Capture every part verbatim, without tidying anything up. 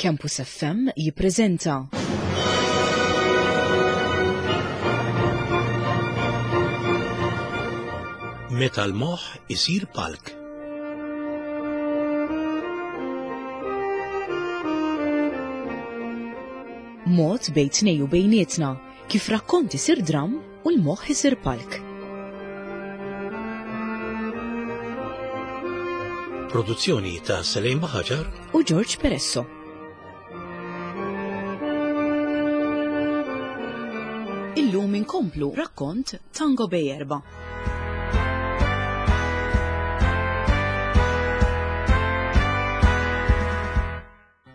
Campus F M jippreżenta Meta l-moħħ isir palk. Mod bejn tnej u bejnietna kif rakkont isir dram u l-moħħ isir palk. Produzzjoni ta' Selejn Baħaġar u George Peresso. Illum inkomplu rakkont Tango Bej Erba.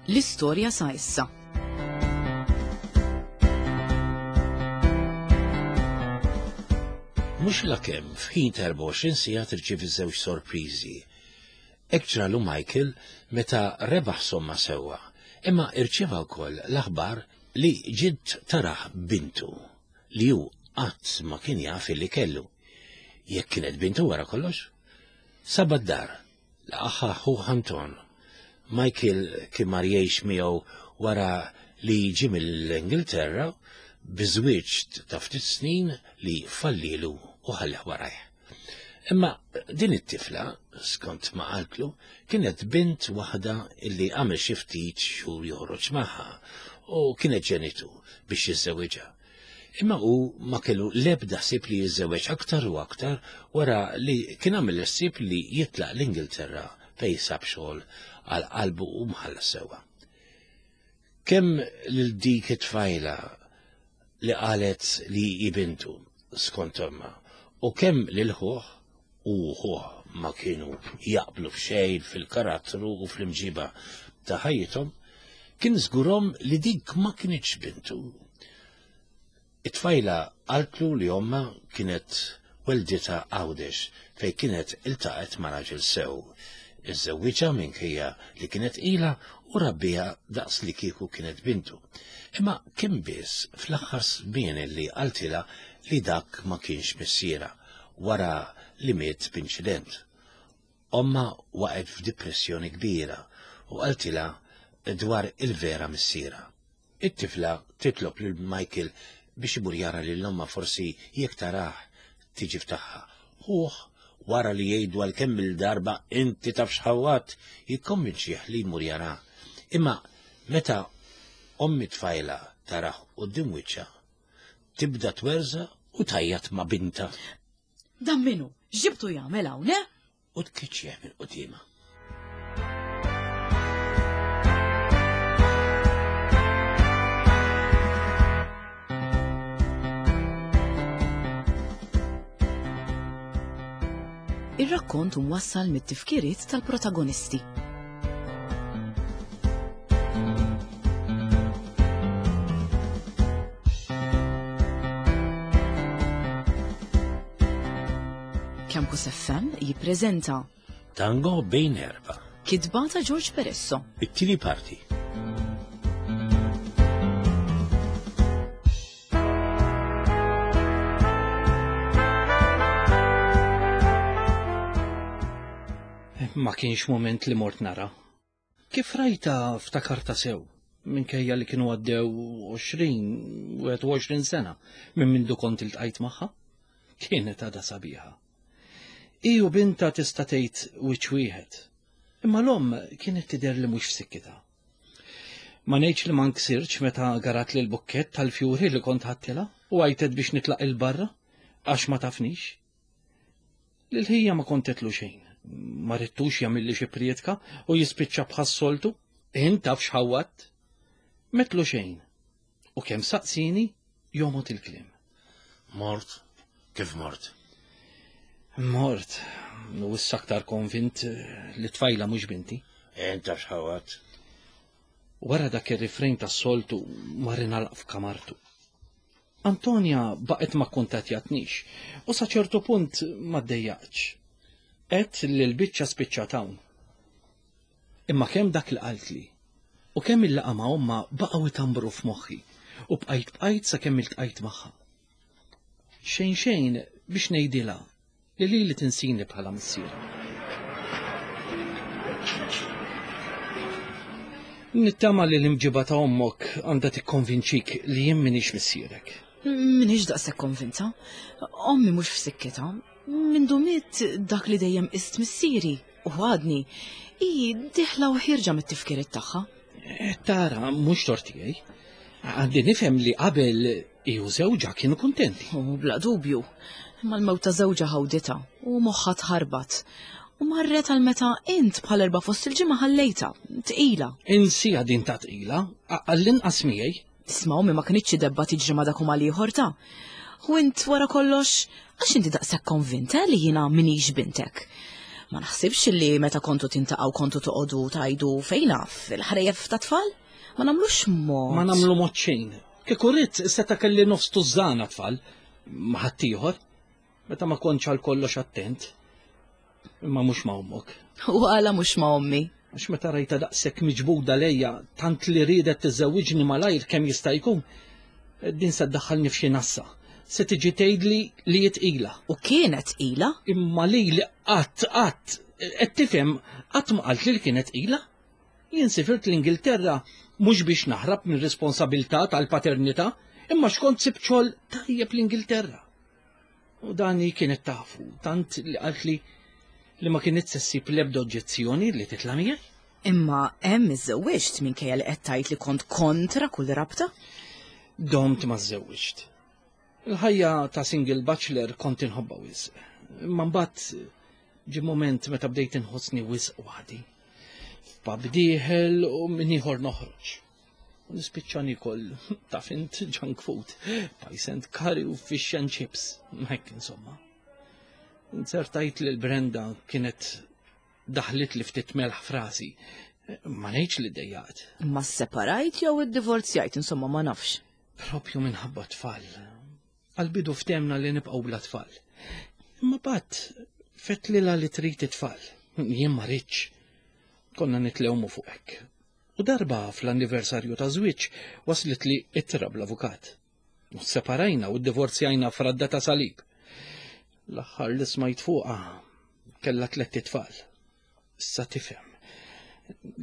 L-istorja sa issa. Mhux lakemm f'ħin ta' erbgħa u għoxrin siegħa tirċievi żewġ sorpriżi. Hekk ġralu Michael meta rebaħ somma sewwa, imma irċieva wkoll l-aħbar li ġiet taraħ bintu li hu qatt ma kien jaf li kellu. Jekk kienet bintu wara kollox, saba d-dar, laqaħħa ħuh Anton. Michael kien mar jgħix miegħu wara li ġie mill-Ingilterra biżwieġ ta' ftit snin li fallilu u ħallih warajh. Imma din it-tifla, skont ma qaltlu, kienet bint waħda illi għamel xi ftit xhur joħroġ magħha u kienet ġenitu biex jiżżewġha. Imma hu ma kellu l-ebda ħsieb li jiżżewweġ aktar u aktar wara li kien għamel ħsieb li jitlaq l-Ingilterra fejn sab xogħol għal qalbu u mħallas sewwa. Kemm lil dik it-tfajla li qalet li hi bintu skont ommha, u kemm lil ħuh u ħuh ma kienu jaqblu f'xejn fil-karattru u fl-imġiba ta' ħajjithom, kien żgurhom li dik ma kinitx bintu. It-tfajla qaltlu li ommha kienet welditha Għawdex fejn kienet iltaqgħet ma' raġel sew. Iżżewwiġha minkejja li kienet ilha u rabbija daqs li kieku kienet bintu. Imma kien biss fl-aħħar żmien li qaltilha li dak ma kienx missiera wara li miet b'inċident. Omma waqgħet f'depressjoni kbira u qaltilha dwar il-vera missiera. It-tifla titlob lil Michael biex imur jara lil omma forsi jekk tarah tiġi ftaħħa. Ħuh wara li jgħidu għal kemm il-darba inti taf x'ħawat, jikkonvinċih li jmur jara. Imma meta ommi tfajla tarah quddiem wiċċha, tibda twerża u tajjat ma' binta. Dan minnu, x'ġibtu jagħmel hawn, eh? U tkiċċih minn quddiemha. Ir-rakkont mwassal mit-tifkiriet tal-protagonisti. Campus F M jippreżenta Tango bejn erba. Kitba ta' George Peresso. It-tieni parti. Ma kienx moment li mort nara. Kif rajta ftakarta sew, minkejja li kienu għaddew għoxrin, wieħed u għoxrin sena minn mindu kont iltqajt magħha, kienet għadha sabiħa. Hi u binta tista' tgħid wiċċ wieħed, imma l-omm kienet tidher li mhux f'sikkitha. Ma ngħidx li ma nksirx meta garat li l-bukkett tal-fjuri li kont ħadtilha u għajtet biex nitlaq il-barra għax ma tafnix. Lil ħija ma kontetlu xejn. Ma rittux jagħmilli xi prietka u jispiċċa bħas-soltu, int taf x'ħawwatt. Metlu xejn. U kemm saqsini jomgħod il-kliem. Mort? Kif mort? Mort. U issa aktar konvint li tfajla mhux binti. Int taf x'ħawwatt. Wara dak ir-refrain tas-soltu mar ingħalaq f'kamartu. Antonia baqgħet ma kkuntattjatnix u sa ċertu punt ma ddejjaqtx. Għedt li l-biċċa spiċċat hawn. Imma kemm dak li qaltli u kemm il-laqgħa ma' omma baqgħu jtambru f'moħħi u bqajt bqajt sakemm iltqajt magħha. Xejn xejn biex ngħidilha li lili tinsini bħala missier. Nittama li l-imġiba ta' ommok għandha tikkonvinċik li jien m'iniex missierek. M'iniex daqshekk konvinta. Ommi mhux f'sikkitha. Mindu miet dak li dejjem qist missieri u għadni, hi dieħla u ħierġa mit-tifkiriet tagħha. Eh, Tara, mhux tort tiegħi. Għandi nifhem li qabel hi u żewġha kienu kuntenti. U bla dubju, imma l-mewt ta' żewġha ħawditha u moħħha tħarbat. U marret għal meta int bħal erba' fost il-ġimgħa ħallejtha, tqila. Insieha din ta' tqila, għall-inqas miegħi. Isma' ommi ma kinitx debba tiġri ma' dak u mal-ieħor ta'. U int wara kollox, għax inti daqshekk konvinta li jiena m'iniex bintek. Ma naħsibx li meta kontu tintaqgħu kontu toqogħdu tgħidu fejn naf, il-ħrejjef ta' tfal? Ma nagħmlux mod. Ma nagħmlu mod xejn. Kieku ridt seta' kelli nofs tużżana tfal, ma' ħaddieħor. Meta ma kontx għal kollox attent. Imma mhux ma' ommok. U għala mhux ma' ommi? Għax meta rajta daqshekk miġbuda lejja tant li riedet tiżżewwiġni malajr kemm jista' jkun, din se ddaħħalni f'xi nassa. Se tiġi tgħidli li hi tqila. U kienet tqila? Imma lili qatt qatt qed tifhem qatt ma qaltli li kienet tqila. Jien sifirt l-Ingilterra mhux biex naħrab minn responsabilità tal-paternità, imma x'kont sibt xogħol tajjeb l-Ingilterra. U dan hi kienet tafu, tant li qaltli li ma kienet se ssib l-ebda oġġezzjoni li titla' miegħi. Imma hemm iżżewwiġt minkejja li qed tgħid li kont kontra kull rabta? Domt ma żżewwiġt. Il-ħajja ta' single bachelor kont inħobbha wisq. Imma mbagħad ġie moment meta bdejt inħossni wisq waħdi. F'pub dieħel u minn ieħor noħroġ. U nispiċċa nikol taf int junk food, pies and curry u fish and chips. Hekk insomma. Inzertajt li l-Brenda kienet daħlit li ftit melħ frasi. Ma ngħidx li ddejjaqt. Ma separajt jew iddivorzjajt, insomma ma nafx. Propju minħabba tfal. Għal-bidu ftehemna li nibqgħu bla tfal. Imma mbagħad fettlilha li trid it-tfal. Jien ma ridtx. Konna nitlewmu fuq hekk. U darba fl-anniversarju ta' żwieġ waslet li ittra bl-avukat. U separajna u ddivorzjajna f'radda ta' salib. L-aħħar li smajt fuqha kellha tlett itfal. Issa tifhem.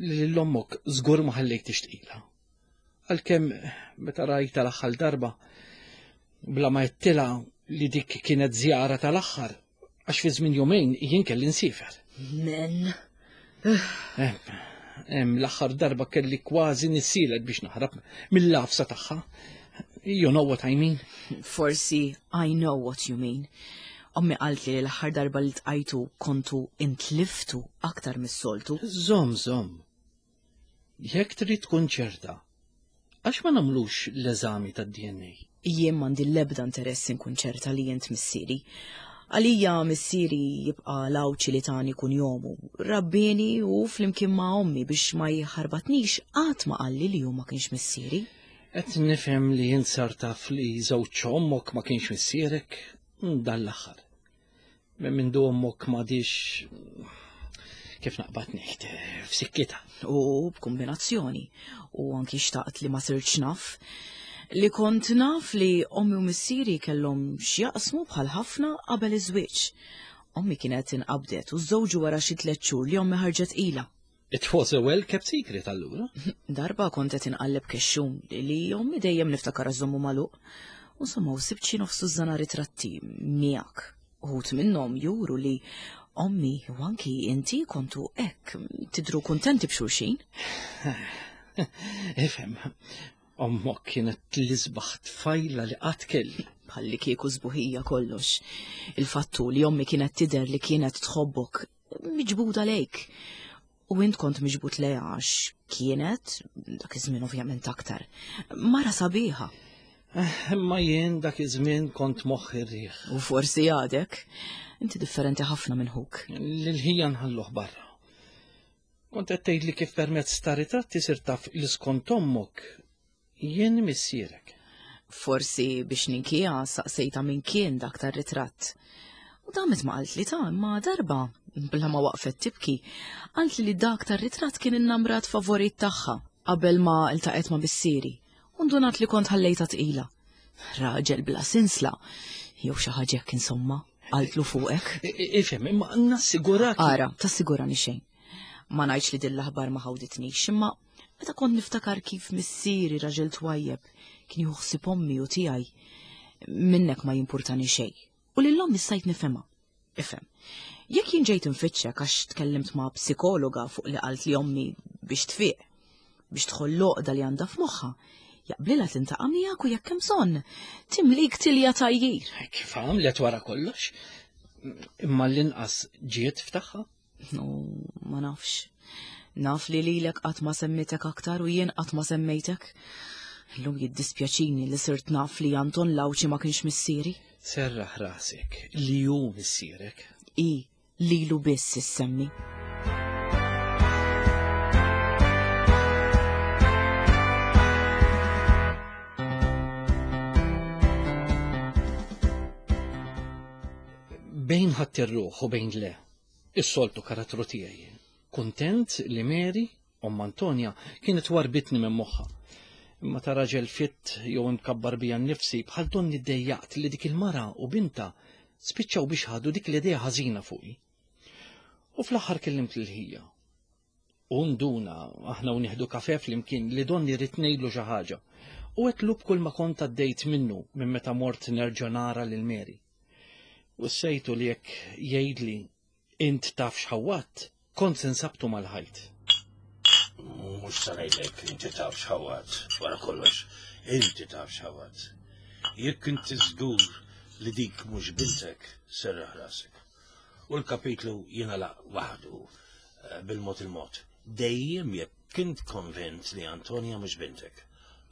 Li l-ommok żgur ma ħallejthiex tqila. Għalkemm meta rajta l-aħħar darba bla ma għedtilha li dik kienet żjara tal-aħħar għax fi żmien jumejn jien kelli nsifer. Men. Hemm l-aħħar darba kelli kważi nissielet biex naħrab mill-lafsa tagħha. You know what I mean? Forsi I know what you mean. Ommi qaltli li l-aħħar darba li ltqajtu kontu intliftu aktar mis-soltu. Żomm, żomm. Jekk trid tkun ċerta, għax ma nagħmlux l-eżami tad-D N A? Jien m'għandi l-ebda interess inkun ċerta li int missieri. Għalija missieri jibqa' l-Għawdxi li tani kunjomu. Rabbini u flimkien ma' ommi biex ma jħarbatnix qatt ma qalli li hu ma kienx missieri. Qed nifhem li jien sar taf li żewġ ommok ma kienx missierek dan l-aħħar. Minn mindu ommok m'għadhiex, kif naqbad ngħid, f'sikkitha. U b'kombinazzjoni. U anki xtaqt li ma sirtx naf. Li kont naf li ommi u missieri kellhom x'jaqsmu bħal ħafna qabel iż-żwieġ. Ommi kienet inqabdet u żżewġu wara xi tliet xhur li ommi ħarġet tqila. It was a well kept secret allura. Darba kont qed inqalleb kexxun li ommi dejjem niftakar żommu magħluq. U insomma u sibt xi nofs tużżana ritratti miegħek. Uħud minnhom juru li ommi u anki inti kontu hekk tidru kuntenti b'xulxin. Ifhem, ommok kienet l-isbaħ tfajla li qatt kelli. Bħalli kieku sbuħija kollox. Il-fattu li ommi kienet tidher li kienet tħobbok miġbuda lejk. U int kont miġbud lejha għax kienet, dak iż-żmien ovvjament aktar, mara sabiħa. Imma jien dak iż-żmien kont moħħi r-riħ. U forsi għadek, inti differenti ħafna minn ħuk. Lil ħija nħalluh barra. Kont qed tgħidli kif permezz ta' ritratti sirt taf li skont ommok jien missierek. Forsi biex ninkija saqsejta min kien dak tar-ritratt. U damet ma qaltli ta' imma darba, bla ma waqfet tibki, qaltli li dak tar-ritratt kien in-namrat favorit tagħha qabel ma iltaqet ma' missieri. U ndunat li kont ħallejta tqila. Raġel bla sinsla, jew xi ħaġa hekk insomma, qaltlu fuqek. Ifhem, imma nassigurak. Ara, tassigurani xejn. Ma ngħidx li din l-aħbar ma ħawditnix, imma Meta kont niftakar kif missieri raġel twajjeb kien jieħu ħsieb ommi u tiegħi, minnek ma jimpurtani xejn. U lil ommi stajt nifhimha. Ifhem. Jekk jien ġejt infittxek għax tkellimt ma' psikologa fuq li qalt li ommi biex tfiq, biex tħoll l-għoqda li għandha f'moħħha, jaqblilha tintaqa' miegħek u jekk hemm bżonn, timlik tilja tajjir. Kif għamlet wara kollox? Imma l-inqas ġiet ftaħħa? No, ma nafx. Naf li lilek qatt ma semmitek aktar u jien qatt ma semmejtek. Illum jiddispjaċini li sirt naf li Anton Lawċi ma kienx missieri. Serraħ rasek li hu missierek. I, lilu biss issemmi. Bejn ħadd ir-ruħ u bejn le, is-soltu karattru tiegħi. Kuntent li Mary, omm Antonia, kienet warbitni minn moħħha. Imma ta' raġel fitt jew imkabbar bija nnifsi bħal donni ddejjaqt li dik il-mara u binta spiċċaw biex ħadu dik l-idea ħażina fuqi. U fl-aħħar kellimt lil ħija. U nduna aħna u nieħdu kafe flimkien li donni rrid ngħidlu xi ħaġa. U għedtlu b'kull ma kont għaddejt minnu minn meta mort nerġa' nara lil Mary. U sejtu li jekk jgħidli int taf x'ħawwatt, kont se nsabtu mal-ħajt. Mhux se ngħidlek inti taf x'ħawwatt, wara kollox, inti taf x'ħawwatt. Jekk inti żgur li dik mhux bintek, serraħ rasek. U l-kapitlu jingħalaq waħdu bil-mod il-mod. Dejjem jekk kint konvint li Antonia mhux bintek.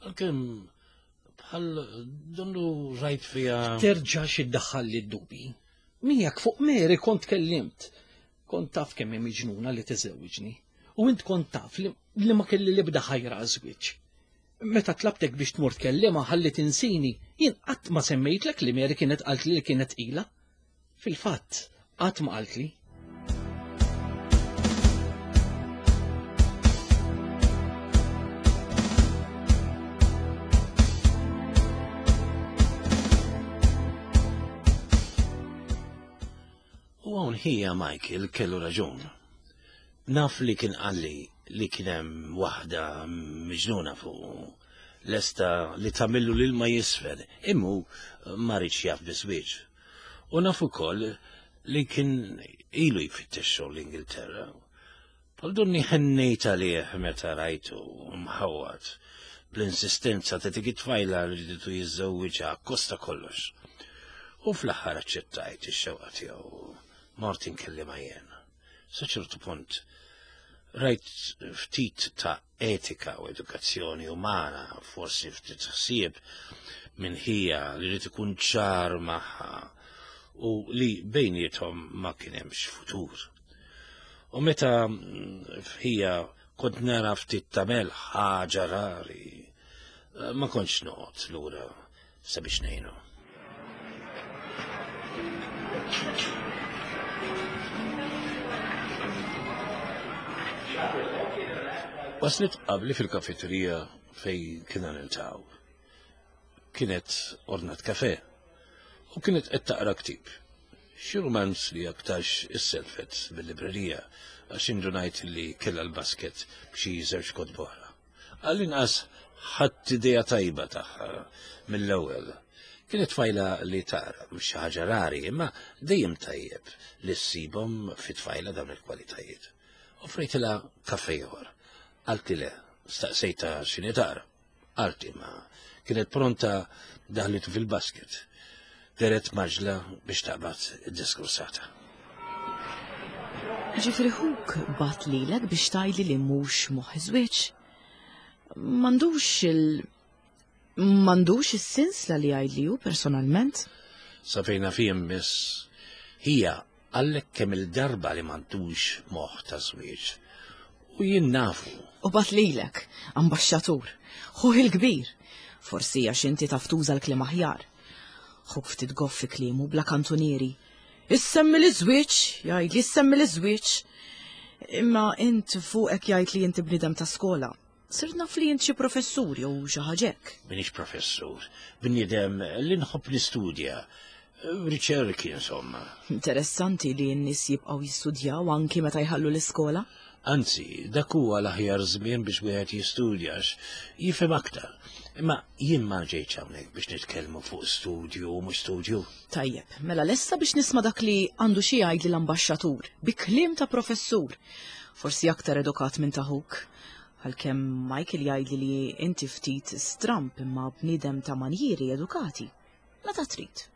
Għalkemm bħal donnu rajt fija. Terġax iddaħħal li d-dubi. Miegħek fuq Mary kont kellimt. Kont taf kemm hi miġnuna li tiżewġni. U int kont taf li, li ma kelli l-ebda ħajra għaż-żwieġ. Meta tlabtek biex tmur tkellimha ħalli tinsini, jien qatt ma semmejtlek li Mary kienet qaltli li kienet tqila. Fil-fatt, qatt ma qaltli. U hawn ħija Michael kellu raġun. Naf li kien qalli li kien hemm waħda miġnuna fuq lesta li tagħmillu l-ilma jisfel, immu ma riedx jaf biżwieġ. U naf ukoll li kien ilu jfittex xogħol l-Ingilterra. Bħal donni ħennejt għalih meta rajtu mħawwad bl-insistenza ta' dik it-tfajla li rridu jiżżewwiġha kosta kollox. U fl-aħħar aċċettajt ix-xewqa tiegħu mort inkellimha jien. Sa ċertu punt rajt ftit ta' etika u edukazzjoni umana, forsi ftit ħsieb minn ħija li rrid ikun ċar magħha u li bejniethom ma kien hemmx futur. U meta f'ħija kont nara ftit ta' melħ ħaġa rari, ma kontx noqgħod lura sabiex ngħinu. Waslet qabli fil-kafeterija fej kiena niltaqgħu. Kienet ordnat kafe u kienet qed taqra ktieb. Xi romanz li aktarx isselfet bil-librerija għax indunajt li kellha l-basket b'xi żewġ kotba oħra. Għall-inqas ħadt idea tajba tagħha mill-ewwel. Kienet tfajla li taqra, mhux xi ħaġa rari, imma dejjem tajjeb li ssibhom fi tfajla dawn il-kwalitajiet. Offrejtilha kafe ieħor. Qalti le, staqsejtha x'inhi taqra. Qalti ma kienet pronta daħlitu fil-basket. Deret maġla biex taqbad id-diskursata. Ġifieri ħuk bat lilek biex tgħidli li mhux moħħ żwieġ. M'għandux il m'għandux is-sinsla li jgħidli hu personalment. Sa fejna fihom miss hija għallek kemm il-darba li m'għandux moħħ ta' żwieġ. U jien nafu. U bat lilek, ambaxxatur, ħuh il-kbir. Forsi għax inti taf tuża l-kliem aħjar. Ħuk ftit goff fi kliemu bla kantunieri. Issemmi l-żwieġ, jgħidli issemmi l-żwieġ. Imma int fuqek jgħid li inti bniedem ta' skola. Sirt naf li int xi professur jew xi ħaġa hekk. Minix professur, bniedem li nħobb nistudja, riċerki insomma. Interessanti li n-nies jibqgħu jistudjaw anki meta jħallu l-iskola. Anzi, dak huwa l-aħjar żmien biex wieħed jistudja għax jifhem aktar. Imma jien ma ġejtx hawnhekk biex nitkellmu fuq studju u mhux studju. Tajjeb, mela lesta biex nisma' dak li għandu xi jgħid l-ambaxxatur, bi kliem ta' professur. Forsi aktar edukat minn taħuk. Għalkemm Michael jgħidli li inti ftit stramp imma bniedem ta' manjieri edukati. Meta trid.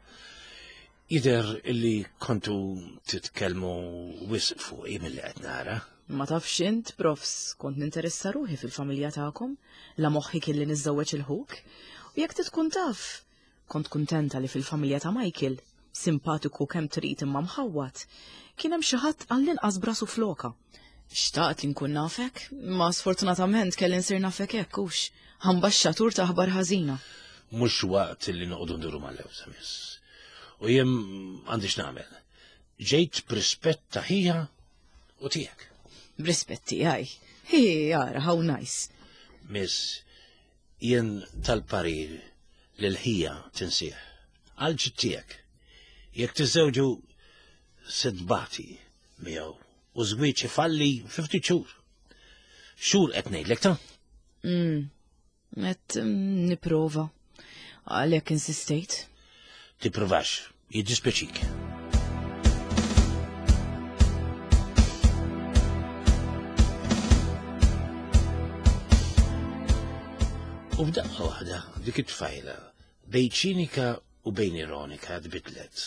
Jidher illi kontu titkellmu wisq fuqi milli qed nara. Ma tafx int, profs, kont ninteressa ruħi fil-familja tagħkom, la moħħi kelli niżżewweġ il-ħuk. U jekk tkun taf, kont kuntenta li fil-familja ta' Michael, simpatiku kemm trid imma mħawwat, kien hemm xi ħadd għall-inqas brasu floka. Xtaqt li nkun nafek, ma sfortunatament kelli nsir nafek hekk hux, ambaxxatur ta' aħbar ħażina. Mhux waqt li noqogħdu nduru mal-lewża, miss. U jien għandix nagħmel. Ġejt b'rispett ta' ħija u tiegħek. B'rispett tiegħi. Hi, ara, how nice. Miss, jien tal-parir li l-ħija tinsieħ. Għal ġid tiegħek. Jekk tiżżewġu se tbati miegħu u żwieġ ifalli fi ftit xhur. Xhur qed ngħidlek ta'? Mm, qed nipprova. Għalhekk insistejt. Tipprovax, jiddispjaċik. U f'daqqa waħda dik it-tfajla bejn ċinika u bejn ironika tbidlet.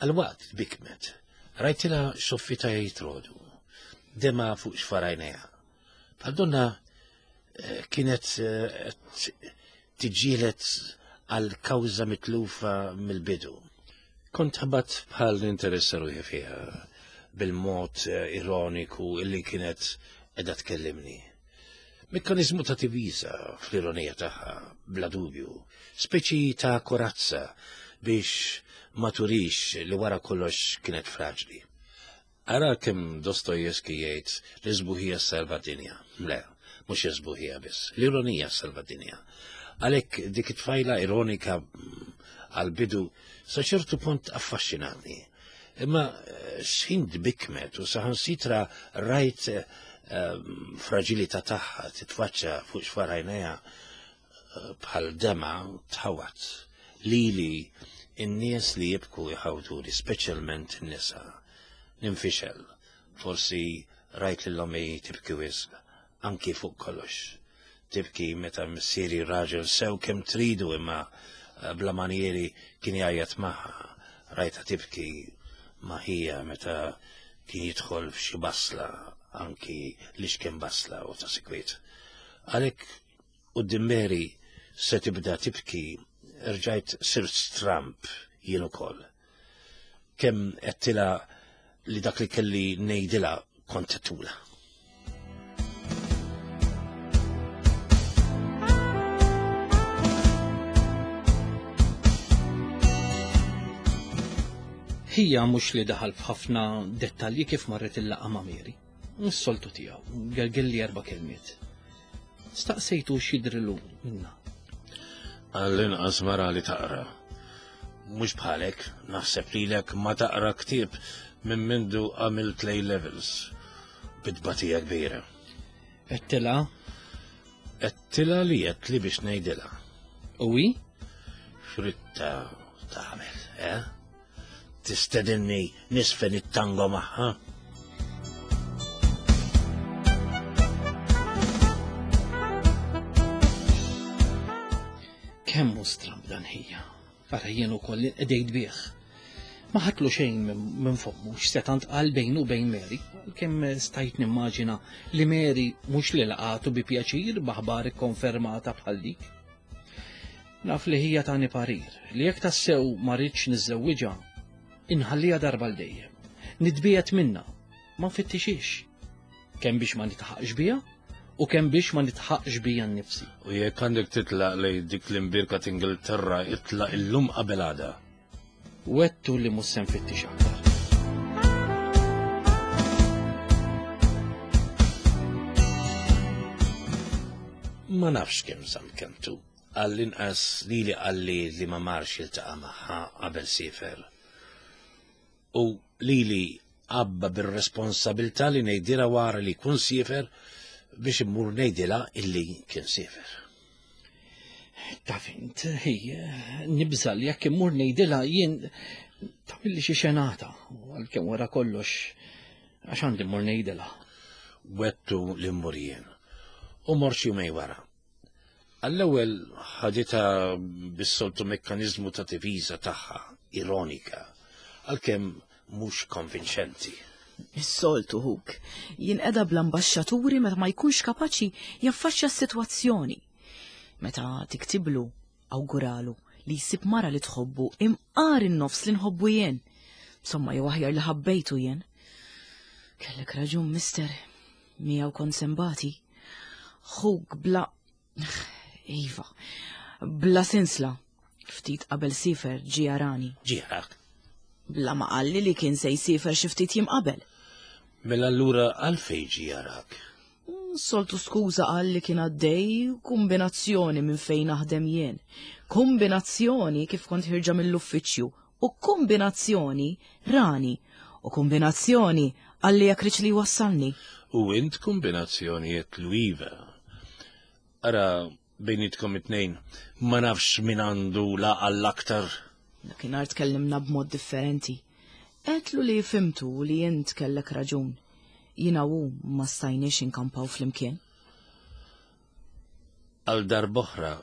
Għal-waqt tbikmet, rajtilha xoffita jitrodu, dema fuq xfarajnejha. Bħal donna kienet tiġġielet għal kawża mitlufa mill-bidu. Kont ħabat bħal ninteressa ruħi fiha bil-mod ironiku illi kienet qiegħda tkellimni. Mekkanizmu ta' tivisa fl-ironija tagħha, bla dubju, speċi ta' korazza biex ma turix li wara kollox kienet fraġli. Ara kemm Dostojevski jgħid li sbuħija salva dinja. Le, mhux sbuħija biss, l-ironija salva dinja. Għalhekk dik it-tfajla ironika għal-bidu sa ċertu punt affaxxinatni. Imma x'ħin tbikmet u saħansitra rajt fragilità tagħha titfaċċa fuq xfarajnejha bħal dema tħawat. Lili in-nies li jibku jħawtuli, speċjalment in-nisa. Ninfixel, forsi rajt lil ommi tibki wisq, anki fuq kollox. Tibki meta missieri raġel sew kemm tridu imma bla manieri kien jgħajjat magħha. Rajta tibki ma' ħija meta kien jidħol f'xi basla, anki li x'kien basla u ta' sikwiet. Għalhekk quddiem Mary se tibda tibki rġajt sirt stramp jien ukoll. Kemm għedtilha li dak li kelli ngħidilha kont tula. Ħija mhux li daħal f'ħafna dettalji kif marret il-laqgħa ma' Mary. Is-soltu tiegħu, gelgel li erba' kelmiet. Staqsejtu x'jidrilu minna. Għall-inqas mara li taqra. Mhux bħalek, naħseb lilek ma taqra ktieb minn mindu għamilt lay levels. Bit-tbatija kbira. Għedtilha? Għedtilha li għedtli biex ngħidilha. U hi? X'ritta tagħmel, eh? Tistedinni nisfen it-tango magħha? Kemm hu stramb dan ħija. Ara jien ukoll inqedejt bih. Ma ħatlu xejn minn fommu x'seta' ntqal bejnu u bejn Mary, kemm stajt nimmaġina li Mary mhux li laqatu bi pjaċir b'aħbar ikkonfermata bħal dik. Naf li ħija tani parir li jekk tassew ma rridx niżżewwiġha, inħallija darba l dejjem. Nitbiet minna, ma nfittixix. Kemm biex ma nitħaqx biha u kemm biex ma nitħaqx bija nnifsi. U jekk għandek titlaq lej dik l-imbirka t'Ingilterra, itlaq illum qabel għada. Wettu li mhux se nfittix aktar. Ma nafx kemm żamm kentu. Għall-inqas lili qalli li ma marx jiltaqa' magħha qabel siefer. U lili Għabba bir-responsabilità li ngħidilha wara li jkun siefer biex immur ngħidilha illi kien siefer. Taf int, hi, nibża' li jekk immur ngħidilha jien tagħmilli xi xenata, għalkemm wara kollox għax għandi mmur ngħidilha. Wettu li mmur jien. U mort xi jumejn wara. Għall-ewwel ħaditha bis-soltu mekkaniżmu ta' difiża tagħha, ironika, għalkemm mhux konvinċenti. Is-soltu ħuk, jinqeda bl-ambaxxaturi meta ma jkunx kapaċi jaffaċċja s-sitwazzjoni. Meta tiktiblu, awguralu li jsib mara li tħobbu imqar in-nofs li nħobbu jien. Insomma, jew aħjar li ħabbejtu jien. Kellek raġun, mister, miegħu kont sembati. Ħuk bla... Iva, bla sinsla. Ftit qabel sifer ġie jarani. Ġie jarak? Bla ma qalli li kien se jsifer xi ftit jiem qabel. Mela allura għalfejn ġie jarak? Soltu skuża qal li kien għaddej kombinazzjoni minn fejn naħdem jien. Kombinazzjoni kif kont ħirġa mill-uffiċċju u kombinazzjoni rani u kombinazzjoni qalli jekk riċ li jwassalni. U int kombinazzjoni għedtlu iva. Ara bejnietkom it-tnejn ma nafx min għandu l-għaqal l-aktar. Dakinhar tkellimna b'mod differenti. Għedtlu li fhimtu u li int kellek raġun. Jiena u ma stajniex inkampaw flimkien. Għal darb'oħra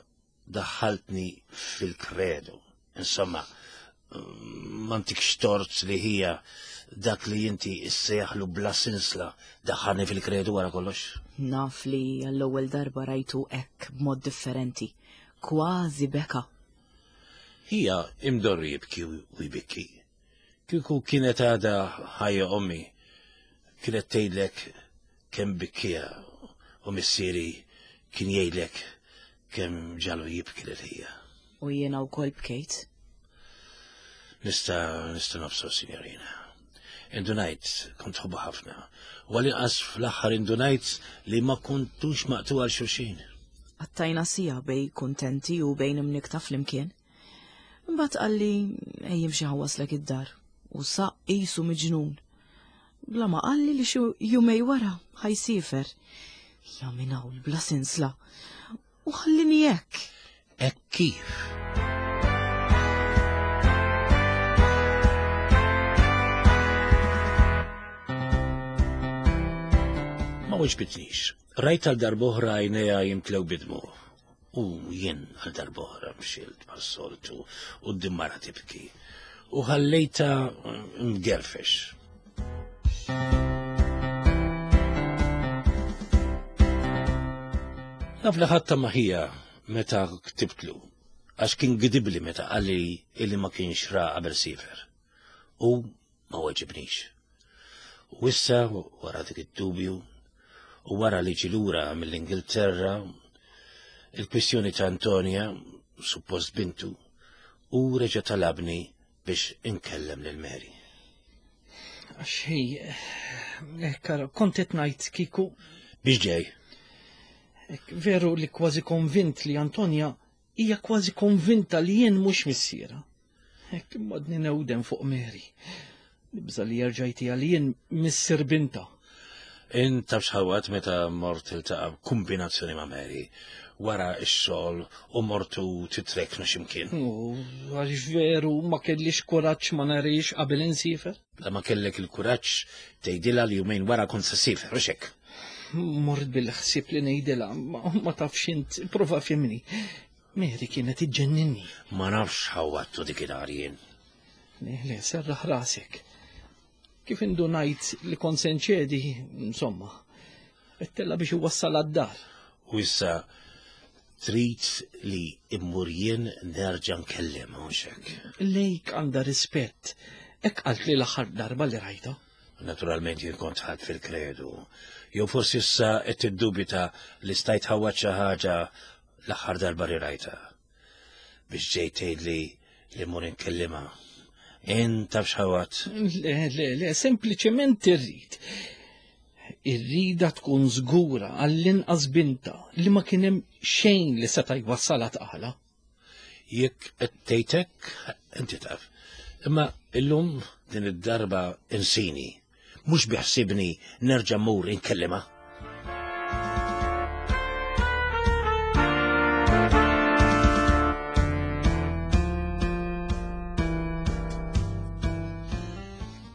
daħħaltni fil-kredu. Insomma, ma ntikx tort li hija dak li inti issejjaħlu bla sinsla daħħalni fil-kredu wara kollox. Naf li għall-ewwel darba rajtu hekk b'mod differenti, kważi beka. Hija imdorri jibki u jbikki. Kieku kienet għadha ħajja ommi, kienet tgħidlek kemm bikkija u missieri kien jgħidlek kemm ġalu jibki lil ħija. U jiena wkoll bkejt. Nista' nista' nobsor, signorina. Indunajt kont tħobbu ħafna. U għal-inqas fl-aħħar indunajt li ma kontux maqtu għal xulxin. Qattajna siegħa bejn kuntenti u bejn imnikta flimkien. Imbagħad qalli ejja imxi ħawaslek id-dar u saq qisu miġnun. Bla ma qalli li xi jumej wara ħajsifer. Ja minn hawn bla sinsla. U ħallini hekk. Hekk kif? Ma weġbitnix. Rajt għal darb'oħra għajnejha jimtlew bid-dmugħ. U jien għal darb'oħra mxilt bħas-soltu quddiem mara tibki. U ħallejta mgerfex. Naf li ħadd ma ħija meta ktibtlu, għax kien gidibli meta qalli illi ma kienx ra qabel sifer. U ma weġibnix. U issa, wara dik id-dubju, u wara li ġie lura mill-Ingilterra, il-kwistjoni ta' Antonia, suppost bintu, u reġa' talabni biex inkellem lil Mary. Għax hi, eh, kara, kont qed ngħid kieku. Biex ġej? Ek, veru li kważi konvint li Antonia hija kważi konvinta li jien mhux missiera. Hekk imma għadni newden fuq Mary. Nibża li jerġa' jtiha li jien missier binta. Int taf x'ħawat meta mort iltaqa' kombinazzjoni ma' Mary wara x-xogħol u mortu titreknu x'imkien. U għax veru ma kellix kuraġġ ma narix qabel insifer? La ma kellek il-kuraġġ tgħidilha li jumejn wara kont se ssifer, u x'hekk? Mort bil-ħsieb li ngħidilha, ma, ma tafx int, prova fimni. Mary kienet iġġenninni. Ma nafx ħawattu dik id-dar jien. Le, le, serraħ rasek. Kif indunajt li kont se nċedi, insomma, għedtilha biex iwassal għad-dar. U issa trid li immur jien nerġa' nkellem mhux hekk. Lejk għandha rispett. Hekk qalt li l-aħħar darba li rajta. Naturalment jien kont ħadd fil-kredu. Jew forsi issa qed tiddubita li stajt ħawat xi ħaġa l-aħħar darba li rajta. Biex ġejt tgħidli li mmur inkellimha. Int taf x'ħawat? Le, le, le, sempliċement irrid. Irrida tkun żgura għall-inqas binta li ma kien hemm xejn li seta' jwassalha tqala. Jekk qed tgħid hekk, inti taf. Imma illum din id-darba insini. Mhux biħsibni nerġa' mmur inkellimha.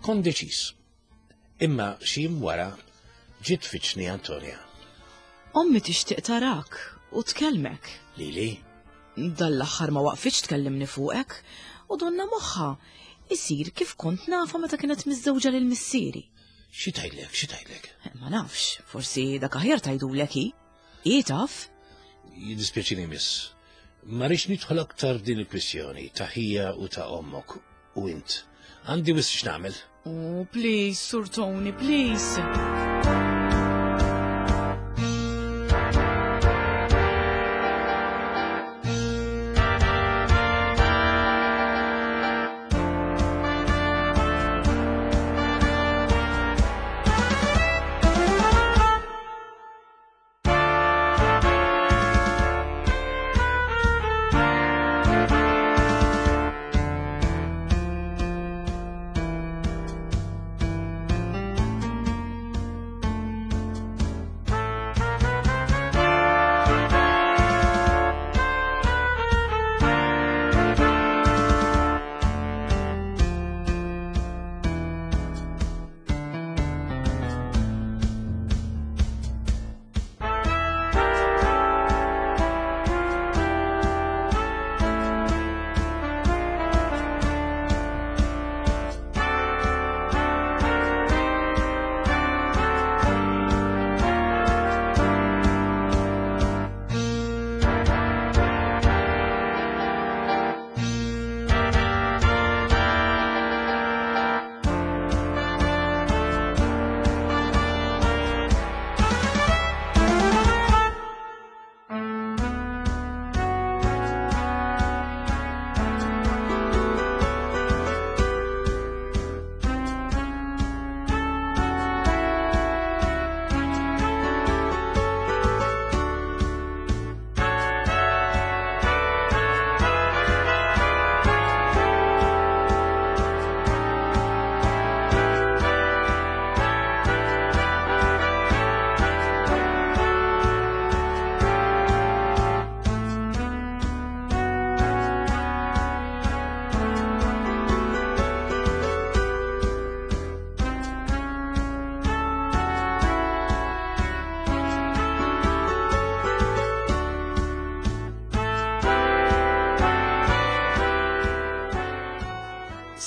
Kont deċiż. Imma xi jiem wara ġiet tfittxni Antonia. Ommi tixtieq tarak u tkellmek. Lili? Dal-aħħar ma waqfitx tkellimni fuqek u donna moħħha isir kif kont nafa meta kienet miżżewġa lil missieri. Xi tgħidlek, xi tgħidlek? Ma nafx, forsi dak aħjar tgħidulek hi. Hi taf? Jiddispjaċini miss. Ma rridx nidħol aktar f'din il-kwistjoni ta' ħija u ta' ommok u int. Għandi wisq x'nagħmel. Oh, please, Sur Tony, please.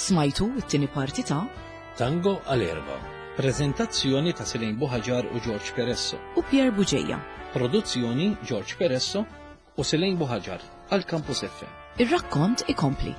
Smajtu it-tieni parti ta' Tango għal erba. Prezentazzjoni ta' Selin Buhaġar u George Peresso. U Pierre Bugeja. Produzzjoni George Peresso u Selin Buhaġar għal Campus F M. Ir-rakkont ikompli.